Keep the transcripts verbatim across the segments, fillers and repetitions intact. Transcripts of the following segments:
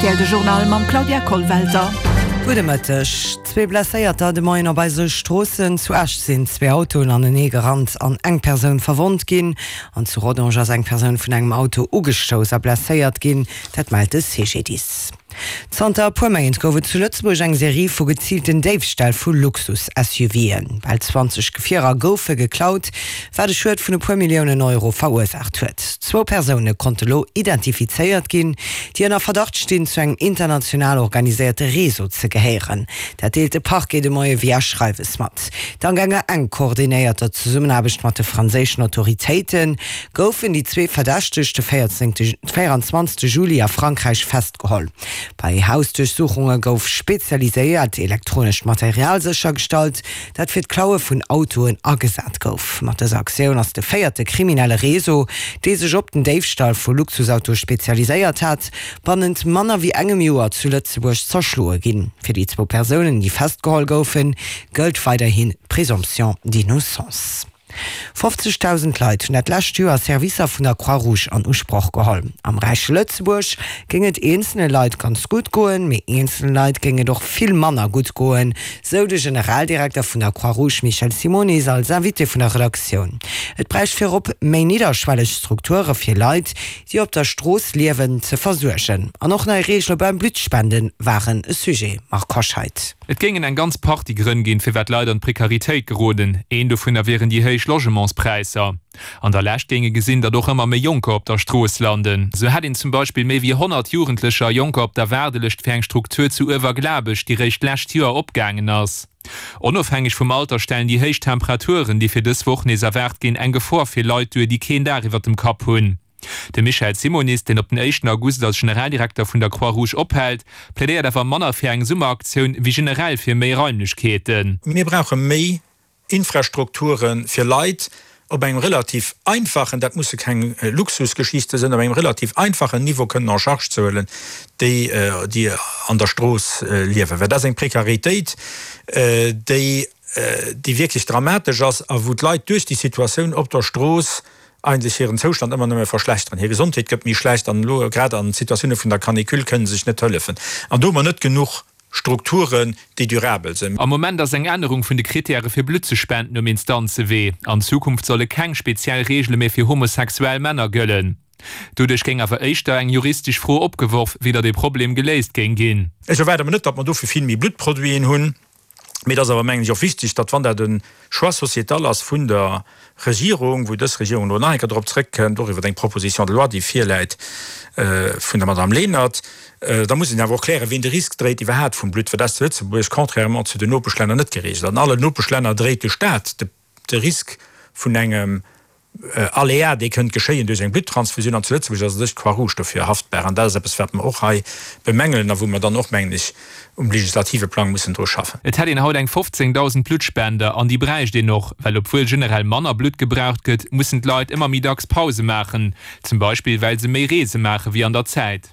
rtl de Journal mam Claudia Kollwelter. Gudde Mëtteg. Zwee Blesséierter de Moien op eise Stroossen. Zu Esch sinn zwee Autoen anenee gerannt an eng Persoun verwonnt ginn. An zu Rodange ass eng Persoun vun engem Auto ugestouss a blesséiert ginn. Dat mellt de CGDIS. Zanter e puer Méint gouf et zu Lëtzebuerg eng Serie vu geziilten Déifställ vu Luxus-SUVen. Bal zwanzeg Gefierer goufe geklaut, wat e Schued vun e puer Milliounen Euro verursaacht huet. Zwou Persoune konnte lo identifizéiert ginn, déi ënner Verdacht stinn, zu engem international organiséierte Réseau ze gehéieren. Dat deelt de Parquet de Moie via Schreiwes mat. Dank enger enk koordinéierter Zesummenaarbecht mat de franséischen Autoritéite goufen déi zwee Verdächteg de véierenzwanzegste Juli a Frankräich festgeholl. Bei Hausduerchsuchunge gouf spezialiséiert elektronescht Material séchergestallt, dat fir d'Klaue vun Autoen agesat gouf. Mat dëser Aktioun ass de véierte kriminelle Réseau, dee sech op den Déifstall vu Luxusautoe spezialiséiert hat, bannent manner wéi engem Joer zu Lëtzebuerg zerschloe ginn. Fir déi zwou Persounen, déi festgeholl goufen, gëllt weiderhin d'Présomption d'innocence. fofzegdausend Leit hunn dat lescht Joer Servicer vun der Croix-Rouge an Usproch geholl. Am räiche Lëtzebuerg géing et eenzele Leit ganz gutt goen, mee eenzele Leit géing et och vill manner gutt goen, sou de Generaldirekter vun der Croix-Rouge Michel Simonis als Invité vun der Redaktioun. Et bräicht virop méi nidderschwelleg Strukture fir Leit, déi op der Strooss liewen, ze versuergen. An och nei Reegele beim Bluttspende waren e Sujet. Marc Hoscheid. Et géingen eng ganz Partie Grënn ginn, firwat Leit an d'Prekaritéit geroden. Een dovunner wieren déi héich Logementspräisser. An der Lescht géing ee gesinn, datt och ëmmer méi Jonker op der Strooss landen. Sou hätt een zum Beispill méi wéi honnert Jugendlecher a Jonker op der Waardelëscht fir eng Struktur zu Uewerglabech, déi réischt d'lescht Joer opgaangen ass. Onofhängeg vum Alter stellen déi héich Temperaturen, déi fir dës Woch nees erwaart ginn, eng Gefor fir Leit duer, déi keen Daach iwwer dem Kapp hunn. De Michel Simonis, deen op den éischten August als Generaldirekter vun der Croix-Rouge ophält, plädéiert awer manner fir eng Summeraktioun wéi generell fir méi Raimlechkeeten. Mir brauche méi Infrastrukture fir Leit op engem relativ einfachen, dat musse keng Luxusgeschichte sinn, op engem relativ einfachen Niveau kënnen en charge ze huelen, déi, déi an der Strooss liewen. Well dat ass eng Prekaritéit, déi, déi wierklech dramatesch ass a wou d'Leit duerch déi Situatioun op der Strooss eigentlech hiren Zoustand ëmmer nëmme verschlechteren. Hir Gesondheet gëtt méi schlecht an elo grad an Situatioune vun der Canicule kënne se sech net hëllefen. An do hu mer net genuch Strukturen, déi durabel sinn. Am Moment ass eng Ännerung vun de Krittäre fir Blutt ze spenden um Instanzewee. An Zukunft solle keng speziell Reegele méi fir homosexuell Männer gëllen. Doduerch géing awer éischter eng juristesch Fro opgeworf, wéi datt ee Problem geléist géing ginn. Ech erwaarde mer net, datt mer dofir vill méi Bluttproduiten hunn. Mee et ass awer, mengen ech, och wichteg, datt, wann dat e Choix sociétal ass vun der Regierung, wou dës Regierung elo nach eng Kéier drop zrëckkënnt, och iwwer eng Proposition de loi, déi virläit vun der Madame Lenert, da muss een awer och klären, wien de Risk dréit iwwerhaapt vum Blutt, well dat ass zu Lëtzebuerg, contrairement zu den Nopeschlänner, net geregelt. An allen Nopeschlänner dréit de Stat de Risk vun engem Aléa, dee kënnt geschéien duerch eng Blutttransfusioun, an zu Lëtzebuerg ass u sech d'Croix-Rouge dofir haftbar. An dat ass eppes, wat mer och hei bemängelen a wou mer dann och, mengen ech, um legislative Plang mussen dru schaffen. Et hätt een haut eng fofzéngdausend Bluttspender an déi bräicht een och, well obwuel generell manner Blutt gebraucht gëtt, mussen d'Leit ëmmer méi dacks Pause maachen, zum Beispill well se méi Reese maache wéi an der Zäit.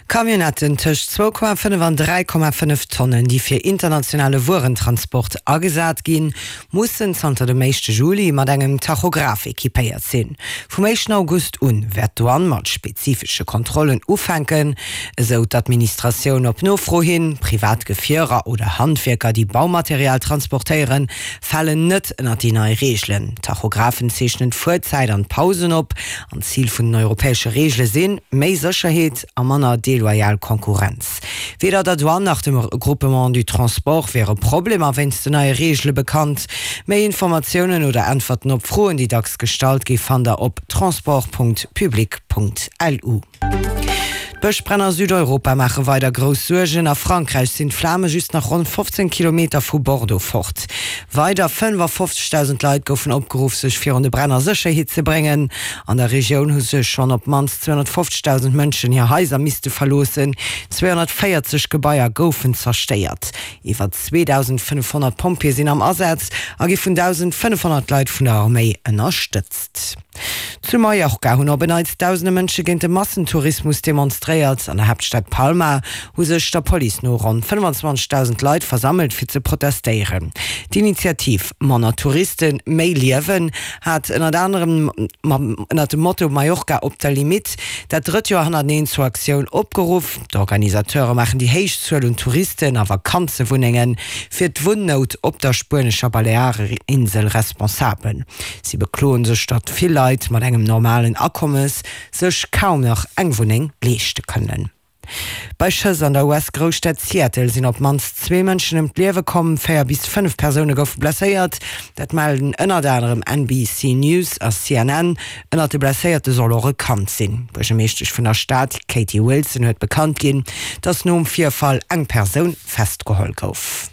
Camionnetten tëscht zwou Komma fënnef an dräi Komma fënnef Tonnen, déi fir internationale Wuerentransport agesat ginn, mussen zanter dem éischte Juli mat engem Tachograph equipéiert sinn. Vum éischten August un wäert d'Douane mat spezifesche Kontrollen ufänken, esou d'Administratioun op Nofro hin. Privat Gefierer oder Handwierker, déi Baumaterial transportéieren, falen net ënnert déi nei Reegelen. D'Tachographen zeechnen d'Fuerzäit an d'Pausen op. An d'Zil vun den europäesche Reegele sinn, méi Sécherheet a manner deloyal Konkurrenz. Weder der Douane nach dem Regroupement du Transport wiere Problemer wéinst den neie Reegele bekannt. Méi Informatiounen oder Äntwerten op Froen, déi dacks gestallt gi fannt der op transport.public.lu. D'Bëschbränn a Südeuropa maache weider grouss Suergen. A Frankräich sinn d'Flame just nach ronn fofzéng Kilometer vu Bordeaux fort. Weider fënnefafofzegdausend Leit goufen opgeruff, sech virun de Bränn a Sécherheet ze bréngen. An der Regioun hu sech schonn op d'mannst zweehonnertfofzegdausend Mënschen hir Haiser misste verloossen. Zweehonnertvéierzeg Gebaier goufen zerstéiert. Iwwer zweedausendfënnefhonnert Pompjeeë sinn am Asaz a gi vun dausendfënnefhonnert Leit vun der Arméi ënnerstëtzt. Zu Mallorca hunn op en Neits dausende Mënsche géint de Massentourismus demonstréiert. demonstréiert. An der Haaptstad Palma hu sech der Police no ronn fënnfanzwanzegdausend Leit versammelt fir ze protestéieren. D'Initiativ Manner Touristen, méi Liewen hat ënnert anerem ënnert dem Motto Mallorca op der Limitt dat drëtt Joer hannerteneen zur Aktioun opgeruff. D'Organisateure maachen déi héich Zuel un Touristen a Vakanzewunnenge fir d'Wunnout op der spuenescher Baleareninsel responsabel. Si bekloen sech, datt vill Leit mat engem normalen Akommes sech kaum nach eng Wunneng leeschte kënnen. Bei Schëss an der U S-Grousstad Seattle sinn op d'mannst zwee Mënschen ëm d'Liewe komm, véier bis fënnef Persoune goufe blesséiert. Dat mellen ënnert anerem N B C News a C N N. Ënnert de Blesséierte soll och e Kand sinn. D'Buergermeeschtesch vun der Stad, Katie Wilson, huet bekannt ginn, datt nom Virfall eng Persoun festgeholl gouf.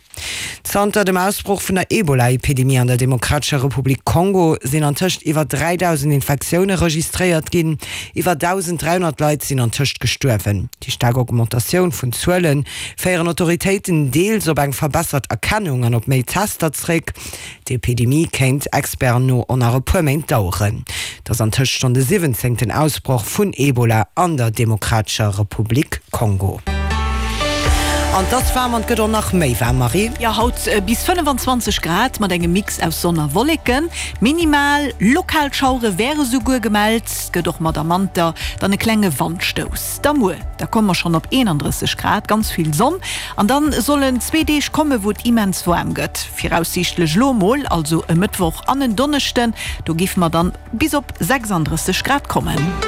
Zanter dem Ausbroch vun der Ebola-Epidemie an der Demokratescher Republik Kongo sinn antëscht iwwer dräidausend Infektioune registréiert ginn. Iwwer dausend dräihonnert Leit sinn antëscht gestuerwen. Déi staark Augmentatioun vun Zuele féieren Autoritéiten deels op eng verbessert Erkennung an op méi Tester zréck. D'Epidemie kéint Experten no och nach e puer Méint daueren. Et ass antëscht schonn de siwwenzéngten Ausbroch vun Ebola an der Demokratescher Republik Kongo. An 't ass waarm an 't gëtt och nach méi waarm, Marie. Jo, haut bis fënnfanzwanzeg Grad mat engem Mix aus Sonn a Wolleken. Minimal lokal Schauere wäre souguer gemellt. 't gëtt och mat am Wanter dann e klenge Wandstouss. Da muer, da komme mer schonn op eenandrësseg Grad, ganz vill Sonn. An dann sollen zwee Deeg komme wou et immens waarm gëtt. Viraussiichtlech lo mol, also e Mëttwoch an en Donneschden, do géife mer dann bis op sechsandrësseg Grad kommen.